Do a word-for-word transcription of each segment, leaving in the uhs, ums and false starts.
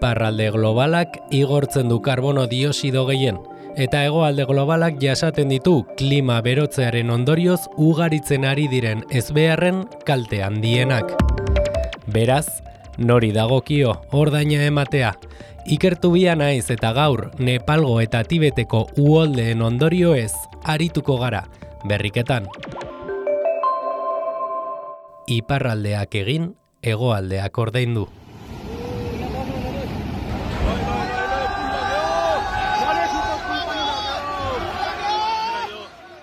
Iparralde globalak igortzen du karbono dioxido gehien, eta hegoalde globalak jasaten ditu klima berotzearen ondorioz ugaritzen ari diren ezbeharren kalte handienak. Beraz, nori dagokio ordaina ematea? Ikertu bia naiz eta gaur Nepalgo eta Tibeteko uholdeen ondorioez arituko gara, berriketan. Iparraldeak egin, hegoaldeak ordaindu.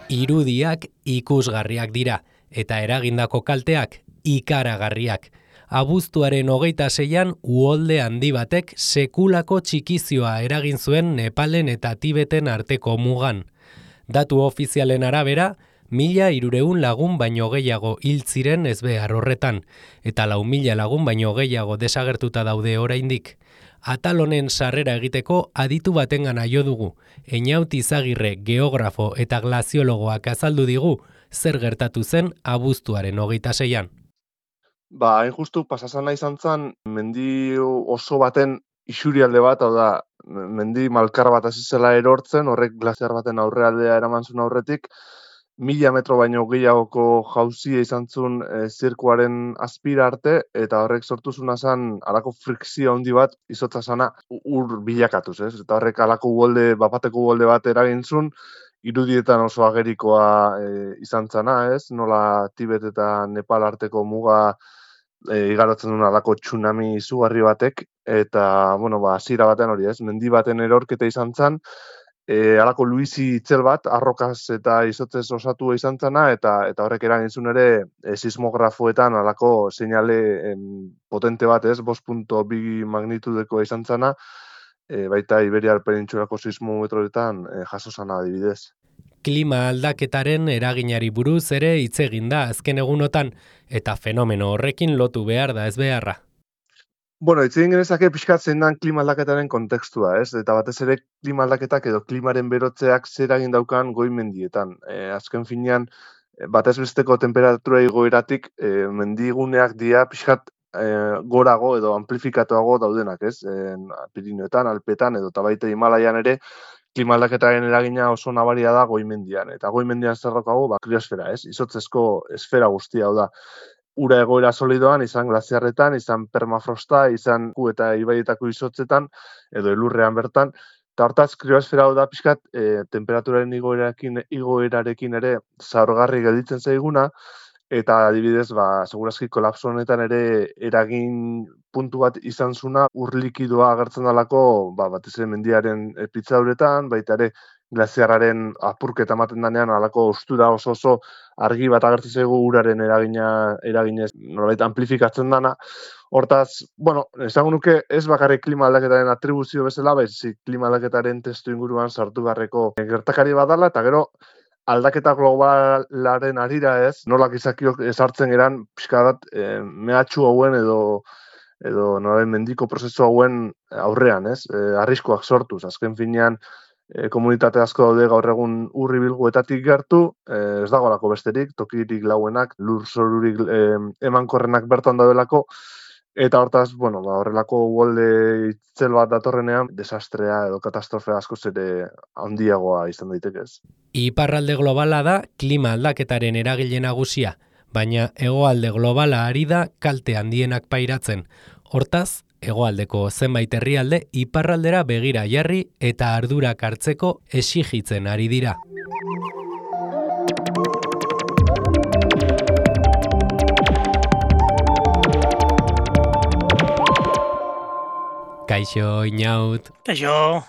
Irudiak ikusgarriak dira, eta eragindako kalteak ikaragarriak. Abuztuaren hogeita seian uholde handi batek sekulako txikizioa eragin zuen Nepalen eta Tibeten arteko mugan. Datu ofizialen arabera, mila hirurehun lagun baino gehiago hil ziren ezbehar horretan, eta lau mila lagun baino gehiago desagertuta daude oraindik. Atal honen sarrera egiteko aditu batengana jo dugu. Einaut Izagirre geografo eta glaziologoak azaldu digu zer gertatu zen abuztuaren hogeita seian. Ba, hain justu pasasana izan zen, mendi oso baten isurialde bat, hau da, mendi malkar bat hasi zela erortzen, horrek glaziar baten aurrealdea eraman zuen aurretik, mila metro baino gehiagoko jauzia izan zuen e, zirkuaren azpira arte, eta horrek sortu zuna zen alako frikzio handi bat izotza zana ur bilakatuz, ez? Eta horrek alako uholde, bapateko uholde bat eragin zuen, irudietan oso agerikoa e, izan zana, ez? Nola Tibet eta Nepal arteko muga e, igarotzen duen alako tsunami izugarri batek, eta, bueno, ba, hasiera batean hori, ez? Mendi baten erorketa izan zen, e, alako luizi itzel bat, arrokaz eta izotzez osatua izan zana, eta, eta horrek eragin zuen ere e, sismografoetan alako seinale em, potente bat, ez? bost koma bi magnitudeko izan zana, e, baita Iberiar penintsulako sismometroetan e, jaso zana adibidez. Klima aldaketaren eraginari buruz ere hitz egin da azken egunotan, eta fenomeno horrekin lotu behar da ez beharra. Bueno, hitz egin genezake pixkat zein dan klima aldaketaren kontekstua, ez? Eta batez ere klima aldaketak edo klimaren berotzeak zer egin daukan goi mendietan. E, azken finean, batez besteko temperatura igoeratik e, mendiguneak dira pixkat e, gorago edo amplifikatuago daudenak, ez? E, Pirinioetan, Alpetan edo tabaita Himalaian ere, klima aldaketaren eragina oso nabaria da goimendian. Eta goimendian zer daukagu, ba, kriosfera, ez? Izotzezko esfera guztia, hau da. Ura egoera solidoan, izan glaziarretan, izan permafrosta, izan ku eta ibaietako izotzetan, edo elurrean bertan. Eta hortaz, kriosfera hau da pixkat, e, temperaturaren igoerarekin, igoerarekin ere zaurgarri gelditzen zaiguna, eta adibidez, ba, segurazki kolapso honetan ere eragin puntu bat izan zuna ur likidoa agertzen dalako, ba, batez ere mendiaren pitzauretan, baita ere glaziarraren apurketa ematen danean alako ostura oso oso argi bat agertzen zaigu uraren eragina eraginez nolabait amplifikatzen dana. Hortaz, bueno, esango nuke ez bakarrik klima aldaketaren atribuzio bezala, baizik klima aldaketaren testu inguruan sartu beharreko gertakari badala, eta gero aldaketa globalaren arira ez, nolak izakiok esartzen geran pixka bat e, mehatxu hauen edo edo nolabait mendiko prozesu hauen aurrean, ez? E, arriskoak sortuz, azken finean e, komunitate asko daude gaur egun urri bilguetatik gertu, e, ez dagoelako besterik, tokirik lauenak, lur zorurik e, emankorrenak bertan daudelako, eta hortaz, bueno, ba, horrelako uholde itzel bat datorrenean, desastrea edo katastrofea askoz ere handiagoa izan daitekez. Iparralde globala da klima aldaketaren eragile nagusia, baina hegoalde globala ari da kalte handienak pairatzen. Hortaz, hegoaldeko zenbait herrialde iparraldera begira jarri eta ardurak hartzeko exijitzen ari dira. Kaixo, Inaut. Kaixo.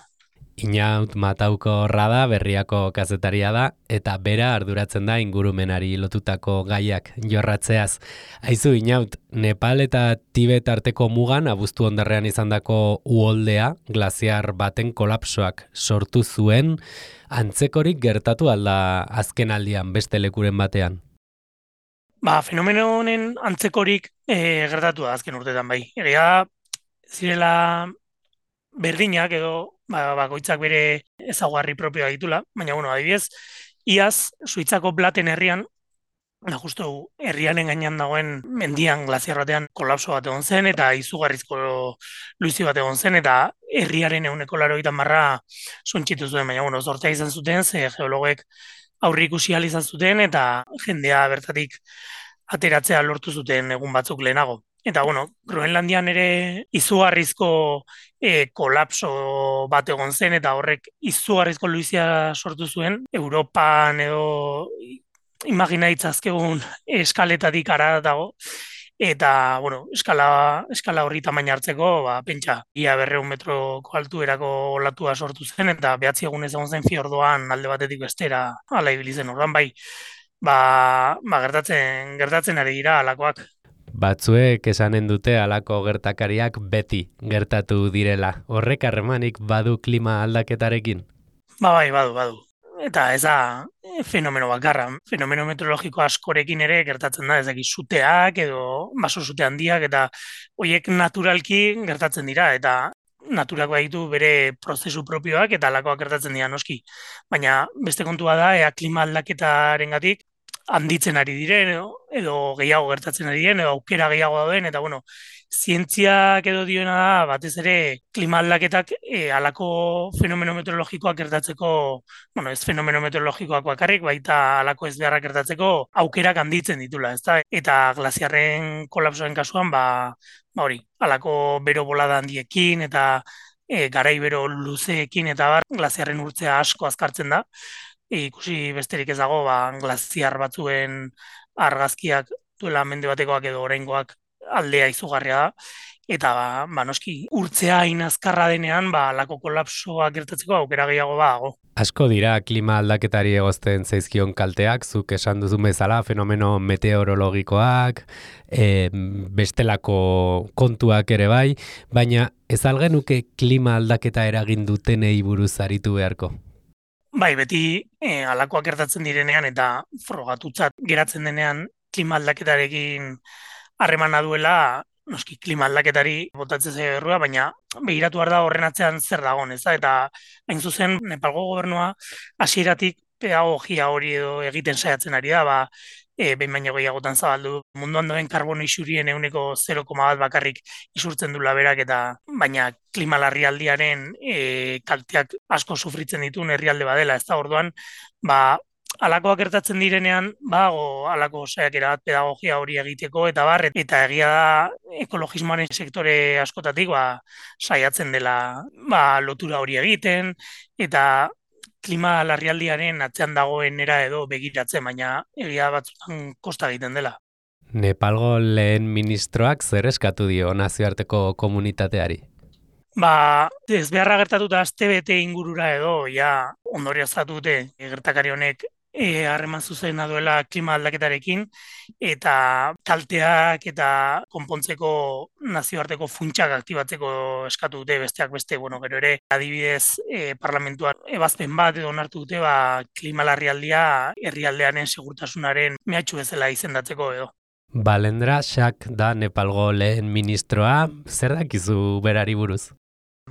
Inaut Matauko Rada berriako kazetaria da, eta bera arduratzen da ingurumenari lotutako gaiak jorratzeaz. Aizu, Inaut, Nepal eta Tibet arteko mugan abuztu hondarrean izandako uholdea, glaziar baten kolapsoak sortu zuen, antzekorik gertatu alda azken aldian beste lekuren batean? Ba, fenomeno honen antzekorik e, gertatu da azken urtetan bai. Egia zirela berdinak edo ba, bakoitzak bere ezaugarri propioa ditula, baina bueno, adibidez, iaz Suitzako Blaten herrian Da, justu herriaren gainean dagoen mendian glaziar batean kolapso bat egon zen eta izugarrizko luizi bat egon zen eta herriaren ehuneko laurogeita hamarra suntsitu zuen, baina bueno, zortea izan zuten, ze geologek aurre ikusi ahal izan zuten eta jendea bertatik ateratzea lortu zuten egun batzuk lehenago. Eta bueno, Groenlandian ere izugarrizko e, kolapso bat egon zen eta horrek izugarrizko luizia sortu zuen. Europan edo imagina itzazkegun eskaletatik ara dago. Eta, bueno, eskala, eskala horri tamaina hartzeko, ba, pentsa, ia berreun metroko altuerako olatua sortu zen, eta behatzi egunez egon zen fiordoan alde batetik bestera ala ibili zen. Orduan bai, ba, ba gertatzen, gertatzen ari dira alakoak. Batzuek esanen dute halako gertakariak beti gertatu direla. Horrek harremanik badu klima aldaketarekin? Ba bai, badu, badu. Eta ez da fenomeno bakarra, fenomeno meteorologiko askorekin ere gertatzen da, ez dakit suteak edo baso sute handiak eta horiek naturalki gertatzen dira eta naturak baditu bere prozesu propioak eta halakoak gertatzen dira noski. Baina beste kontua da ea klima aldaketarengatik handitzen ari diren edo, edo gehiago gertatzen ari diren edo aukera gehiago dauden eta bueno, zientziak edo dioena da batez ere klima aldaketak e, halako fenomeno meteorologikoak gertatzeko, bueno, ez fenomeno meteorologikoak bakarrik, baita halako ez beharrak gertatzeko aukerak handitzen ditula, ezta? Eta glaziarren kolapsoen kasuan, ba, ba hori, halako bero bolada handiekin eta e, garai bero luzeekin eta bar, glaziarren urtzea asko azkartzen da. E, ikusi besterik ez dago, ba, glaziar batzuen argazkiak duela mende batekoak edo oraingoak aldea izugarria da. Eta ba, ba noski urtzea hain azkarra denean, ba halako kolapsoa gertatzeko aukera gehiago badago. Asko dira klima aldaketari egozten zaizkion kalteak, zuk esan duzu bezala fenomeno meteorologikoak, e, bestelako kontuak ere bai, baina ez algenuke klima aldaketa eragin dutenei buruz aritu beharko? Bai, beti e, halakoak gertatzen direnean eta frogatutzat geratzen denean klima aldaketarekin harremana duela, noski klima aldaketari botatzen zaio errua, baina begiratu behar da horren atzean zer dagoen, ez da? Eta hain zuzen Nepalgo gobernua hasieratik pedagogia hori edo egiten saiatzen ari da, ba, e, behin baino gehiagotan zabaldu munduan dauden karbono isurien ehuneko zero koma bat bakarrik isurtzen dula berak eta baina klima larrialdiaren e, kalteak asko sufritzen dituen herrialde badela, ez da? Orduan, ba halakoak gertatzen direnean, bago halako saiakera bat pedagogia hori egiteko eta bar, eta egia da ekologismoaren sektore askotatik ba, saiatzen dela ba, lotura hori egiten, eta klima larrialdiaren atzean dagoen era edo begiratzen, baina egia batzutan kosta egiten dela. Nepalgo lehen ministroak zer eskatu dio nazioarteko komunitateari? Ba, ez beharra gertatuta aste bete ingurura edo, ja, ondorioztatu dute gertakari honek E, harreman zuzena duela klima aldaketarekin eta kalteak eta konpontzeko nazioarteko funtsak aktibatzeko eskatu dute besteak beste, bueno, gero ere adibidez e, parlamentuan ebazpen bat edo onartu dute ba, klima larrialdia herrialdearen segurtasunaren mehatxu bezala izendatzeko edo. Balendra Shak da Nepalgo lehen ministroa, zer dakizu berari buruz?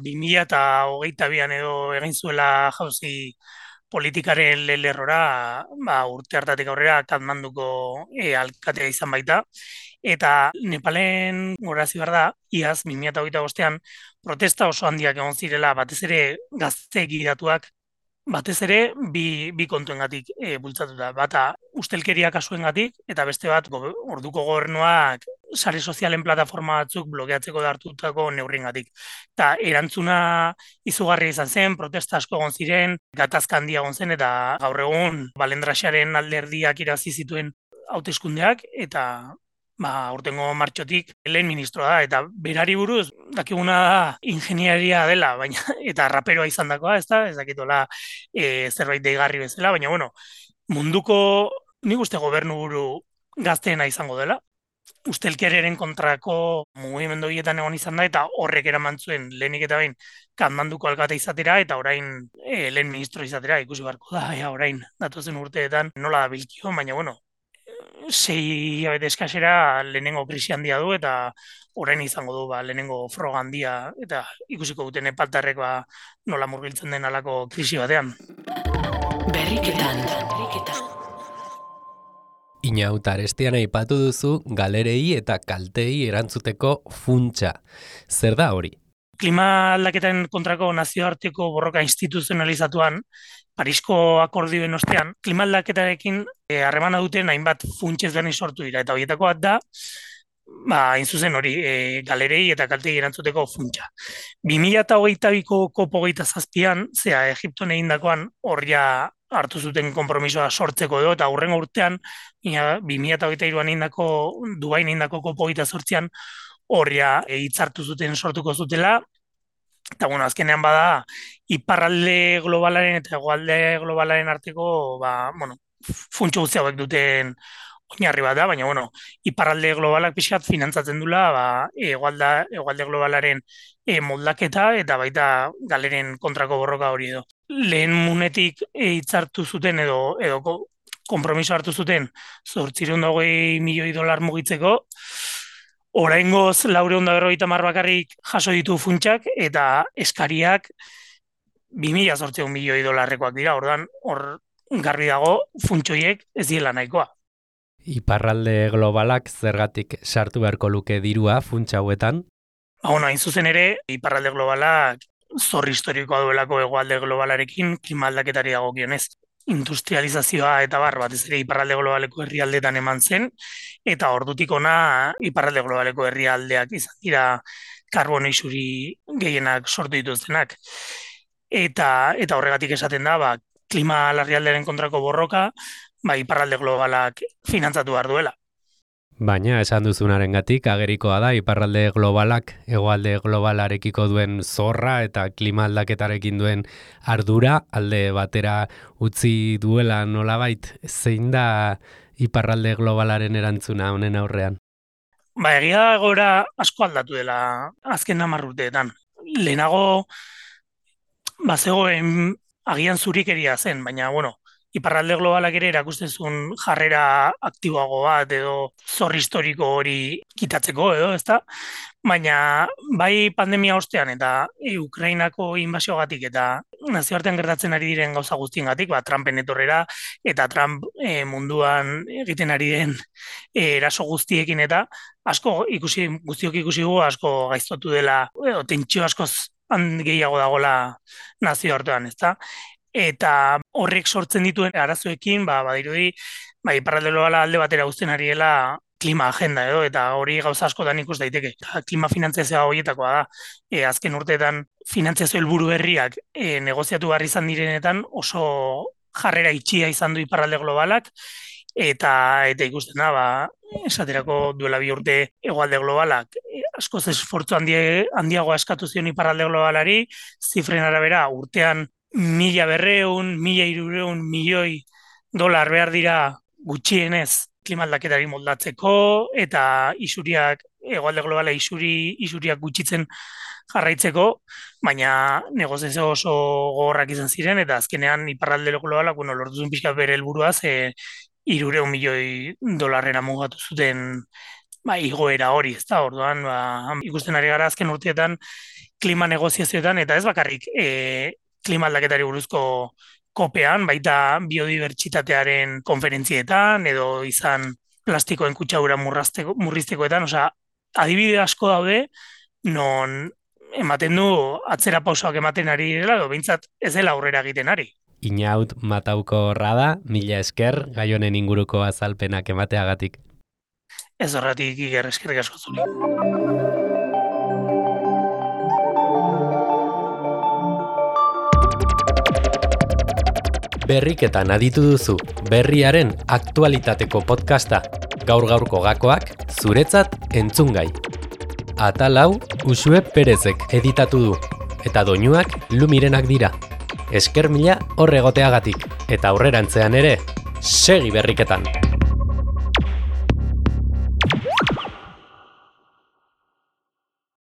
bi mila hogeita bian edo egin zuela jauzi politikaren lerrora, ba, urte hartatik aurrera Katmanduko e, alkatea izan baita, eta Nepalen gorazi behar da, iaz, bi mila hogeita bostean, protesta oso handiak egon zirela, batez ere gazte gidatuak, batez ere bi, bi kontuengatik e, bultzatuta. Bata, ustelkeria kasuengatik, eta beste bat, go, orduko gobernuak sare sozialen plataforma batzuk blokeatzeko hartutako neurriengatik. Eta erantzuna izugarria izan zen, protesta asko egon ziren, gatazka handia egon zen, eta gaur egun Balendraxaren alderdiak irazi zituen hauteskundeak, eta ba, urtengo martxotik lehen ministroa da, eta berari buruz, dakiguna da ingenieria dela, baina eta raperoa izan dakoa, ez da, ez dakitola e, zerbait deigarri bezala, baina bueno, munduko nik uste gobernu buru gazteena izango dela, ustelkeriaren kontrako mugimendu horietan egon izan da, eta horrek eraman zuen lehenik eta behin Katmanduko alkate izatera, eta orain e, lehen ministro izatera, ikusi beharko da, ja, orain datozen urteetan nola da bilkio, baina bueno, sei abete eskasera lehenengo krisi handia du eta orain izango du ba, lehenengo froga handia eta ikusiko duten Nepaltarrek ba, nola murgiltzen den halako krisi batean. Berriketan. Inaut arestian aipatu duzu galerei eta kaltei erantzuteko funtsa. Zer da hori? Klima aldaketaren kontrako nazioarteko borroka instituzionalizatuan, Parisko akordioen ostean, klima aldaketarekin harremana duten hainbat funts ezberdin sortu dira, eta horietako bat da, ba, hain zuzen hori, e, galerei eta kaltei erantzuteko funtsa. bi mila hogeita biko kopo hogeita zazpian, zera Egipton egindakoan horria hartu zuten konpromisoa sortzeko edo, eta hurrengo urtean, bi mila hogeita hiruan egindako, Dubain egindako kopo hogeita zortzian, horria hitzartu zuten sortuko zutela, eta bueno, azkenean bada, iparralde globalaren eta hegoalde globalaren arteko, ba, bueno, funtsu guzti hauek duten oinarri bat da, baina bueno, iparralde globalak pixkat finantzatzen dula, ba, hegoalda, hegoalde globalaren e, moldaketa eta baita galeren kontrako borroka hori edo. Lehen munetik hitzartu zuten edo edo konpromiso hartu zuten zortziehun eta hogei milioi dolar mugitzeko, oraingoz laurehun eta berrogeita hamar bakarrik jaso ditu funtsak eta eskariak bi mila zortziehun milioi dolarrekoak dira, ordan hor garbi dago funtsoiek ez diela nahikoa. Iparralde globalak zergatik sartu beharko luke dirua funtsa hauetan? Ba, bueno, hain zuzen ere, iparralde globalak zor historikoa duelako hegoalde globalarekin klima aldaketari dagokionez. Industrializazioa eta bar batez ere iparralde globaleko herrialdetan eman zen, eta ordutik ona iparralde globaleko herrialdeak izan dira karbono isuri gehienak sortu dituztenak. Eta eta horregatik esaten da, ba, klima larrialdearen kontrako borroka, ba, iparralde globalak finantzatu behar duela. Baina esan duzunarengatik agerikoa da iparralde globalak hegoalde globalarekiko duen zorra eta klima aldaketarekin duen ardura alde batera utzi duela nolabait. Zein da iparralde globalaren erantzuna honen aurrean? Ba, egia da egoera asko aldatu dela azken hamar urteetan. Lehenago bazegoen agian zurikeria zen, baina bueno, iparralde globalak ere erakusten zuen jarrera aktiboago bat edo zor historiko hori kitatzeko edo, ezta? Baina bai pandemia ostean eta e, Ukrainako inbasiogatik eta nazioartean gertatzen ari diren gauza guztiengatik, ba, Trumpen etorrera eta Trump e, munduan egiten ari den e, eraso guztiekin eta asko ikusi guztiok ikusi dugu asko gaiztotu dela edo tentsio askoz gehiago dagoela nazioartean, ezta? Eta horrek sortzen dituen arazoekin, ba, badirudi, ba, iparralde globala alde batera uzten ari dela klima agenda edo, eta hori gauza askotan ikus daiteke. Klima finantziazioa horietakoa da, e, azken urteetan finantziazio helburu berriak e, negoziatu behar izan direnetan oso jarrera itxia izan du iparralde globalak, eta eta ikusten da, ba, esaterako duela bi urte hegoalde globalak e, askoz esfortzu handie, handiagoa eskatu zion iparralde globalari, zifren arabera urtean mila berreun, mila hirureun milioi dolar behar dira gutxienez klima aldaketari moldatzeko eta isuriak, hegoalde globala isuri, isuriak gutxitzen jarraitzeko, baina negoziazio oso gogorrak izan ziren eta azkenean iparralde globalak, bueno, lortu zuen pixka bere helburuaz, e, hirureun milioi dolarrera mugatu zuten ba, igoera hori, ez da, orduan, ba, ikusten ari gara azken urteetan klima negoziazioetan, eta ez bakarrik, e, klima aldaketari buruzko kopean, baita biodibertsitatearen konferentzietan, edo izan plastikoen kutsadura murriztekoetan, osea, adibide asko daude, non ematen du atzera pausoak ematen ari dela, edo behintzat ez dela aurrera egiten ari. Inaut Matauko Rada, mila esker, gai honen inguruko azalpenak emateagatik. Ez horretik iker eskerrik asko zuri. Berriketan aditu duzu, berriaren aktualitateko podcasta, gaur-gaurko gakoak, zuretzat entzungai. Atal hau, Uxue Perezek editatu du, eta doinuak Lumirenak dira. Esker mila hor egoteagatik, eta aurrerantzean ere, segi berriketan!